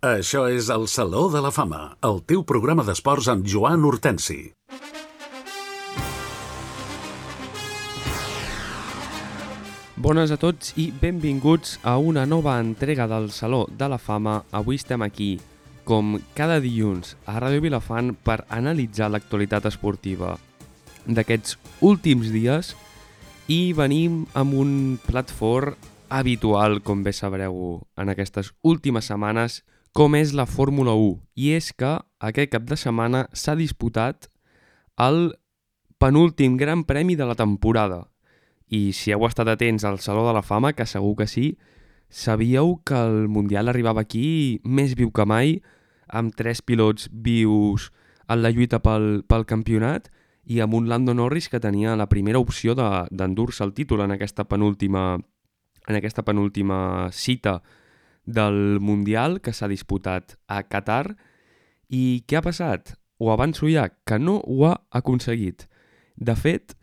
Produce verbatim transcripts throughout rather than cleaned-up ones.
Això és el Saló de la Fama, el teu programa d'esports amb Joan Hortensi. Bones a tots i benvinguts a una nova entrega del Saló de la Fama. Avui estem aquí, com cada dilluns, a Ràdio Vilafant per analitzar l'actualitat esportiva d'aquests últims dies i venim amb un plat fort habitual, com bé sabreu, en aquestes últimes setmanes, com és la Fórmula u. I és que aquest cap de setmana s'ha disputat el penúltim Gran Premi de la temporada. I si heu estat atents al Saló de la Fama, que segur que sí, sabíeu que el Mundial arribava aquí més viu que mai, amb tres pilots vius en la lluita pel, pel campionat i amb un Lando Norris que tenia la primera opció de, d'endur-se el títol en aquesta penúltima, en aquesta penúltima cita del Mundial que s'ha disputat a Qatar. I què ha passat? Ho avanço ja, que no ho ha aconseguit. De fet,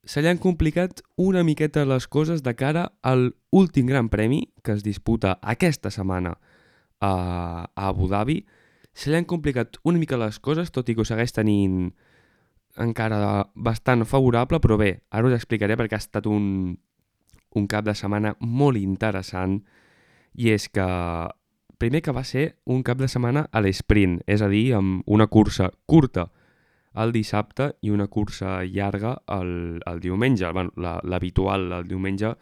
se li han complicat una miqueta les coses de cara al últim Gran Premi que es disputa aquesta setmana a, a Abu Dhabi. Se li han complicat una mica les coses, tot i que ho segueix tenint encara bastant favorable, però bé, ara us explicaré perquè ha estat un, un cap de setmana molt interessant. I és que, primer que va ser un cap de setmana a l'esprint, és a dir, amb una cursa curta el dissabte i una cursa llarga el, el diumenge. Bueno, la, l'habitual, el diumenge,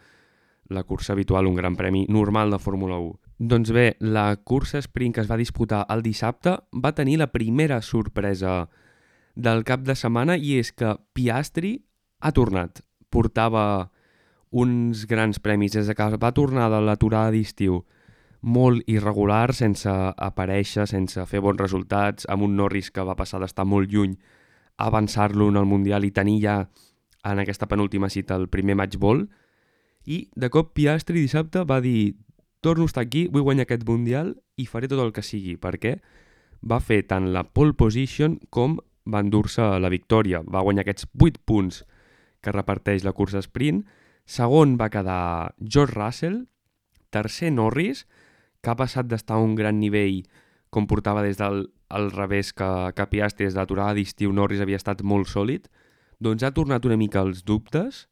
la cursa habitual, un gran premi normal de Fórmula u. Doncs bé, la cursa sprint que es va disputar el dissabte va tenir la primera sorpresa del cap de setmana i és que Piastri ha tornat. Portava uns grans premis des que va tornar de l'aturada d'estiu molt irregular, sense aparèixer, sense fer bons resultats, amb un Norris que va passar d'estar molt lluny a avançar-lo en el Mundial i tenir ja en aquesta penúltima cita el primer match ball. I de cop Piastri dissabte va dir: torno a estar aquí, vull guanyar aquest Mundial i faré tot el que sigui, perquè va fer tant la pole position com va endur-se la victòria. Va guanyar aquests vuit punts que reparteix la cursa sprint. Segon va quedar George Russell, tercer Norris, que ha passat d'estar a un gran nivell com portava des del al revés que, que Piastri, des de l'aturada d'estiu Norris havia estat molt sòlid, doncs ha tornat una mica els dubtes,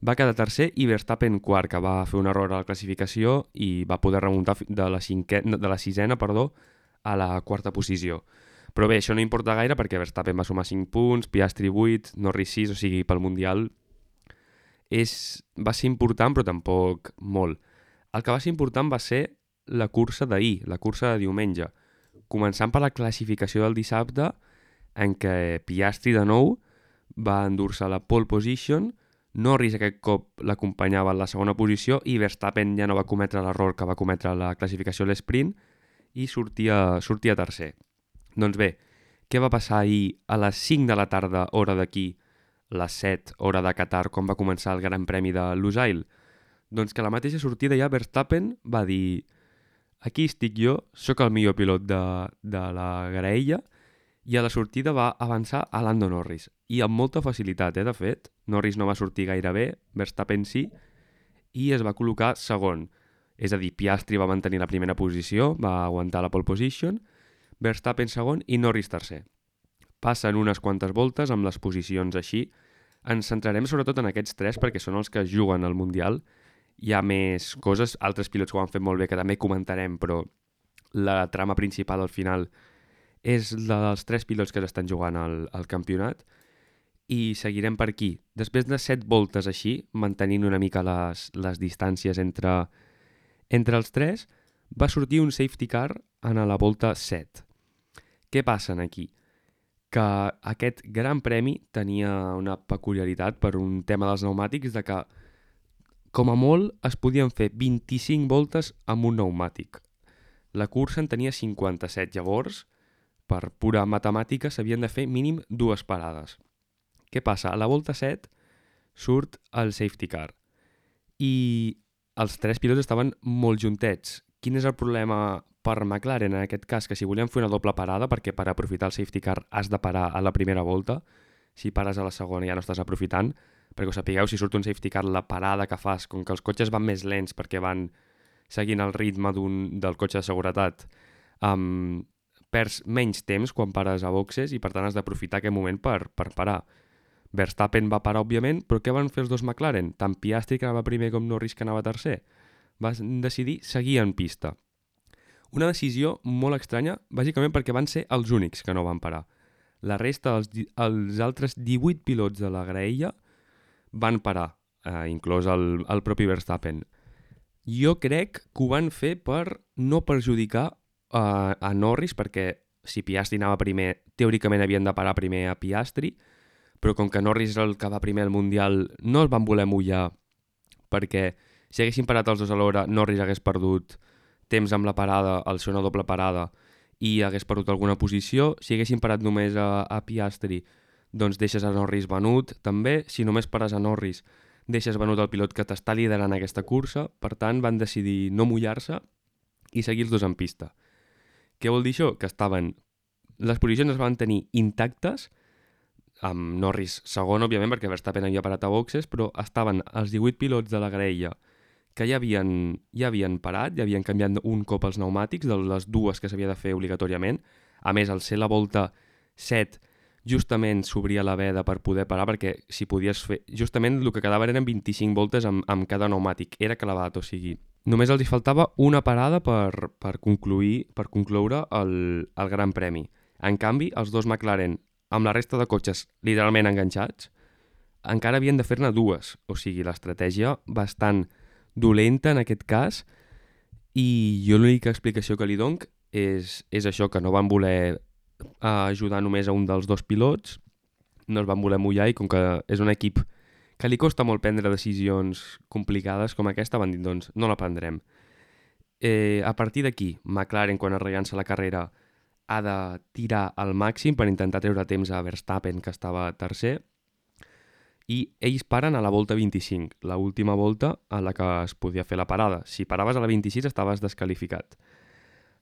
va quedar tercer i Verstappen quart, que va fer un error a la classificació i va poder remuntar de la, cinquè, de la sisena perdó, a la quarta posició. Però bé, això no importa gaire perquè Verstappen va sumar cinc punts, Piastri vuit, Norris sis, o sigui, pel Mundial és, va ser important però tampoc molt. El que va ser important va ser la cursa d'ahir, la cursa de diumenge, començant per la classificació del dissabte en què Piastri de nou va endur-se la pole position, Norris aquest cop l'acompanyava en la segona posició i Verstappen ja no va cometre l'error que va cometre la classificació a l'esprint i sortia, sortia tercer. Doncs bé, què va passar ahir a les cinc de la tarda, hora d'aquí, les set, hora de Qatar, quan va començar el Gran Premi de Lusail? Doncs que a la mateixa sortida ja Verstappen va dir: aquí estic jo, sóc el millor pilot de, de la graella, i a la sortida va avançar a Lando Norris. I amb molta facilitat, eh, de fet. Norris no va sortir gaire bé, Verstappen sí, i es va col·locar segon. És a dir, Piastri va mantenir la primera posició, va aguantar la pole position, Verstappen segon i Norris tercer. Passen unes quantes voltes amb les posicions així. Ens centrarem sobretot en aquests tres perquè són els que juguen al Mundial. Hi ha més coses, altres pilots que ho han fet molt bé que també comentarem, però la trama principal al final és la dels tres pilots que estan jugant al, al campionat i seguirem per aquí. Després de set voltes així, mantenint una mica les, les distàncies entre, entre els tres, va sortir un safety car en la volta set. Què passa aquí? Que aquest Gran Premi tenia una peculiaritat per un tema dels pneumàtics de que com a molt es podien fer vint-i-cinc voltes amb un pneumàtic. La cursa en tenia cinquanta-set, llavors, per pura matemàtica, s'havien de fer mínim dues parades. Què passa? A la volta set surt el safety car i els tres pilots estaven molt juntets. Quin és el problema per McLaren en aquest cas? Que si volien fer una doble parada, perquè per aprofitar el safety car has de parar a la primera volta, si pares a la segona ja no estàs aprofitant, perquè ho sapigueu, si surt un safety car, la parada que fas, com que els cotxes van més lents perquè van seguint el ritme d'un, del cotxe de seguretat, um, perds menys temps quan pares a boxes i per tant has d'aprofitar aquest moment per, per parar. Verstappen va parar, òbviament, però què van fer els dos McLaren? Tant Piastri, que anava primer, com Norris, que anava tercer. Van decidir seguir en pista. Una decisió molt estranya, bàsicament perquè van ser els únics que no van parar. La resta, els, els altres divuit pilots de la graella van parar, eh, inclòs el, el propi Verstappen. Jo crec que ho van fer per no perjudicar eh, a Norris, perquè si Piastri anava primer, teòricament havien de parar primer a Piastri, però com que Norris és el que va primer al Mundial, no es van voler mullar, perquè si haguessin parat els dos alhora, Norris hagués perdut temps amb la parada, al ser una doble parada, i hagués perdut alguna posició. Si haguessin parat només a, a Piastri, doncs deixes a Norris venut, també. Si només pares a Norris, deixes venut el pilot que t'està liderant aquesta cursa. Per tant, van decidir no mullar-se i seguir els dos en pista. Què vol dir això? Que estaven... Les posicions es van tenir intactes, amb Norris segon, òbviament, perquè Verstappen havia parat a boxes, però estaven els divuit pilots de la graella que ja havien, ja havien parat, ja havien canviat un cop els pneumàtics, de les dues que s'havia de fer obligatòriament. A més, al ser la volta set, justament s'obria la veda per poder parar, perquè si podies fer... Justament el que quedava eren vint-i-cinc voltes amb, amb cada pneumàtic, era clavat, o sigui... Només els hi faltava una parada per, per concluir, per concloure el, el Gran Premi. En canvi, els dos McLaren, amb la resta de cotxes literalment enganxats, encara havien de fer-ne dues. O sigui, l'estratègia bastant dolenta en aquest cas, i jo l'única explicació que li dono és, és això, que no van voler ajudar només a un dels dos pilots, no es van voler mullar, i com que és un equip que li costa molt prendre decisions complicades com aquesta, van dir, doncs, no la prendrem. Eh, a partir d'aquí, McLaren, quan es rellança la carrera, ha de tirar al màxim per intentar treure temps a Verstappen, que estava tercer, i ells paren a la volta vint-i-cinc, la última volta a la que es podia fer la parada. Si paraves a la vint-i-sis estaves desqualificat.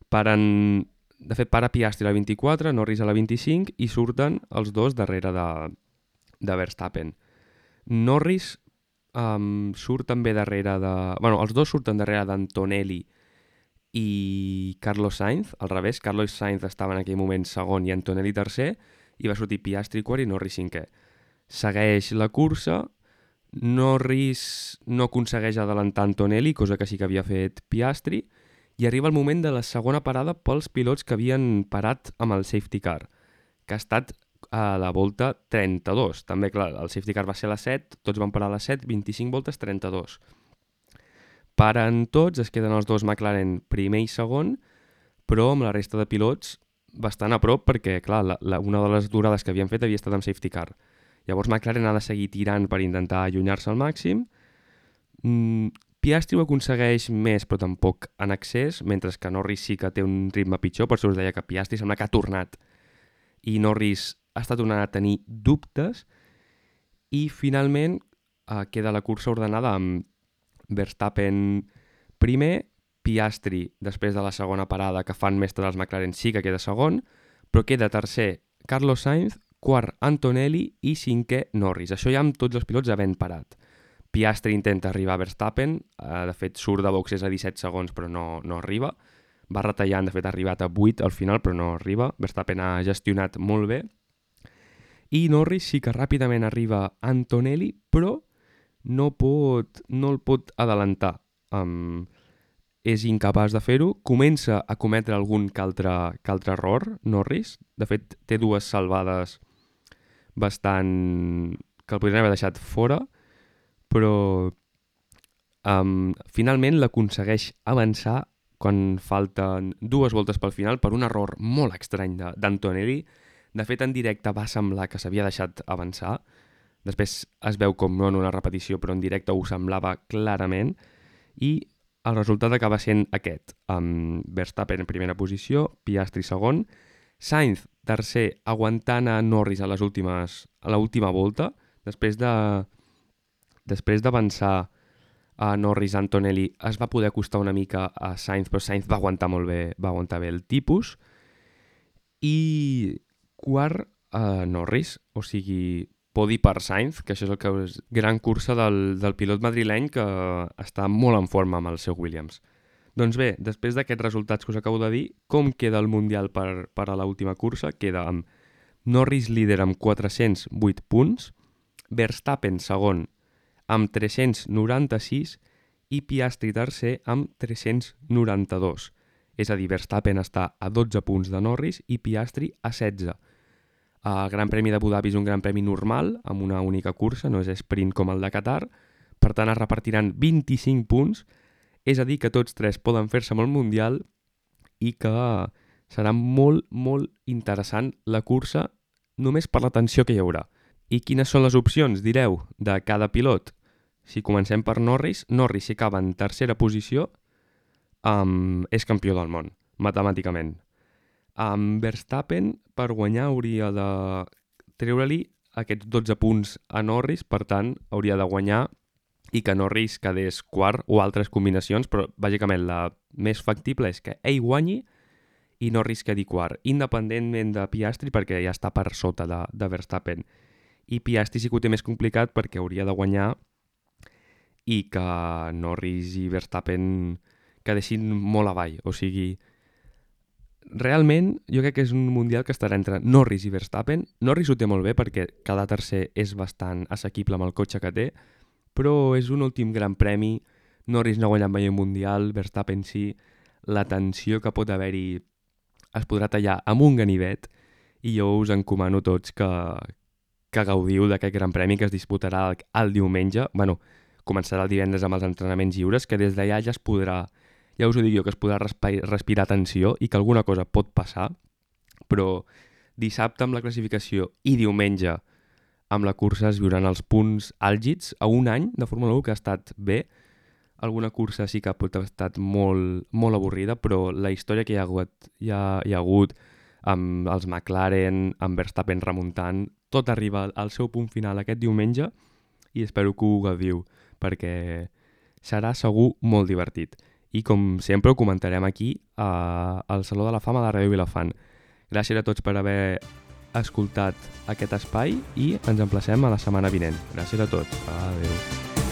Paren... De fet, para Piastri a la vint-i-quatre, Norris a la vint-i-cinc, i surten els dos darrere de, de Verstappen. Norris um, surt també darrere de... Bueno, els dos surten darrere d'Antonelli i Carlos Sainz, al revés. Carlos Sainz estava en aquell moment segon i Antonelli tercer, i va sortir Piastri quart i Norris cinquè. Segueix la cursa, Norris no aconsegueix adelantar Antonelli, cosa que sí que havia fet Piastri, i arriba el moment de la segona parada pels pilots que havien parat amb el safety car, que ha estat a la volta trenta-dos. També, clar, el safety car va ser a les set, tots van parar a les set, vint-i-cinc voltes, trenta-dos. Paren tots, es queden els dos McLaren primer i segon, però amb la resta de pilots bastant a prop, perquè, clar, la, la, una de les durades que havien fet havia estat amb safety car. Llavors McLaren ha de seguir tirant per intentar allunyar-se al màxim. Mm, Piastri ho aconsegueix més, però tampoc en excés, mentre que Norris sí que té un ritme pitjor, per això us deia que Piastri sembla que ha tornat. I Norris ha estat tornant a tenir dubtes, i finalment eh, queda la cursa ordenada amb Verstappen primer, Piastri després de la segona parada que fan mestre dels McLaren sí que queda segon, però queda tercer Carlos Sainz, quart Antonelli i cinquè Norris. Això ja amb tots els pilots havent parat. Piastri intenta arribar a Verstappen, eh, de fet surt de boxes a disset segons però no, no arriba. Va retallant, de fet ha arribat a vuit al final però no arriba. Verstappen ha gestionat molt bé. I Norris sí que ràpidament arriba a Antonelli, però no, pot, no el pot adelantar. Um, és incapaç de fer-ho. Comença a cometre algun que altre, que altre error, Norris. De fet, té dues salvades bastant... que el podrien haver deixat fora, però um, finalment l'aconsegueix avançar quan falten dues voltes pel final per un error molt estrany d'Antonelli. De fet, en directe va semblar que s'havia deixat avançar. Després es veu com no en una repetició, però en directe ho semblava clarament. I el resultat acaba sent aquest. Um, Verstappen en primera posició, Piastri segon, Sainz tercer, aguantant a Norris a les últimes, a l'última volta, després de després d'avançar a Norris, Antonelli es va poder acostar una mica a Sainz, però Sainz va aguantar molt bé, va aguantar bé el tipus. I quart, a Norris, o sigui, podi per Sainz, que això és el que és gran cursa del, del pilot madrileny, que està molt en forma amb el seu Williams. Doncs bé, després d'aquests resultats que us acabo de dir, com queda el Mundial per, per a l'última cursa? Queda amb Norris líder amb quatre-cents vuit punts, Verstappen segon amb tres-cents noranta-sis i Piastri tercer amb tres-cents noranta-dos. És a dir, Verstappen està a dotze punts de Norris i Piastri a setze. El Gran Premi d'Abu Dhabi és un gran premi normal, amb una única cursa, no és sprint com el de Qatar, per tant es repartiran vint-i-cinc punts, és a dir, que tots tres poden fer-se amb el Mundial i que serà molt, molt interessant la cursa només per la tensió que hi haurà. I quines són les opcions, direu, de cada pilot? Si comencem per Norris, Norris si acaba en tercera posició um, és campió del món, matemàticament. Amb Verstappen, per guanyar, hauria de treure-li aquests dotze punts a Norris, per tant, hauria de guanyar i que Norris quedés quart o altres combinacions, però bàsicament la més factible és que ell guanyi i Norris quedi quart, independentment de Piastri, perquè ja està per sota de, de Verstappen. I Piastri sí que ho té més complicat perquè hauria de guanyar i que Norris i Verstappen quedessin molt avall. O sigui, realment jo crec que és un mundial que estarà entre Norris i Verstappen. Norris ho té molt bé perquè cada tercer és bastant assequible amb el cotxe que té, però és un últim gran premi. Norris no ha guanyat mai un mundial, Verstappen sí. La tensió que pot haver-hi es podrà tallar amb un ganivet i jo us encomano tots que, que gaudiu d'aquest gran premi que es disputarà el, el diumenge. Bueno, començarà el divendres amb els entrenaments lliures, que des d'allà ja es podrà, ja us ho dic jo, que es podrà respirar, respirar tensió i que alguna cosa pot passar, però dissabte amb la classificació i diumenge amb la cursa es viuran els punts àlgids a un any de Fórmula u que ha estat bé. Alguna cursa sí que pot haver estat molt, molt avorrida, però la història que hi ha hagut, hi ha, hi ha hagut amb els McLaren, amb Verstappen remuntant, tot arriba al seu punt final aquest diumenge i espero que ho gaudiu, perquè serà segur molt divertit. I com sempre ho comentarem aquí a, al Saló de la Fama de Ràdio Vilafant. Gràcies a tots per haver escoltat aquest espai i ens emplacem a la setmana vinent. Gràcies a tots. Adéu.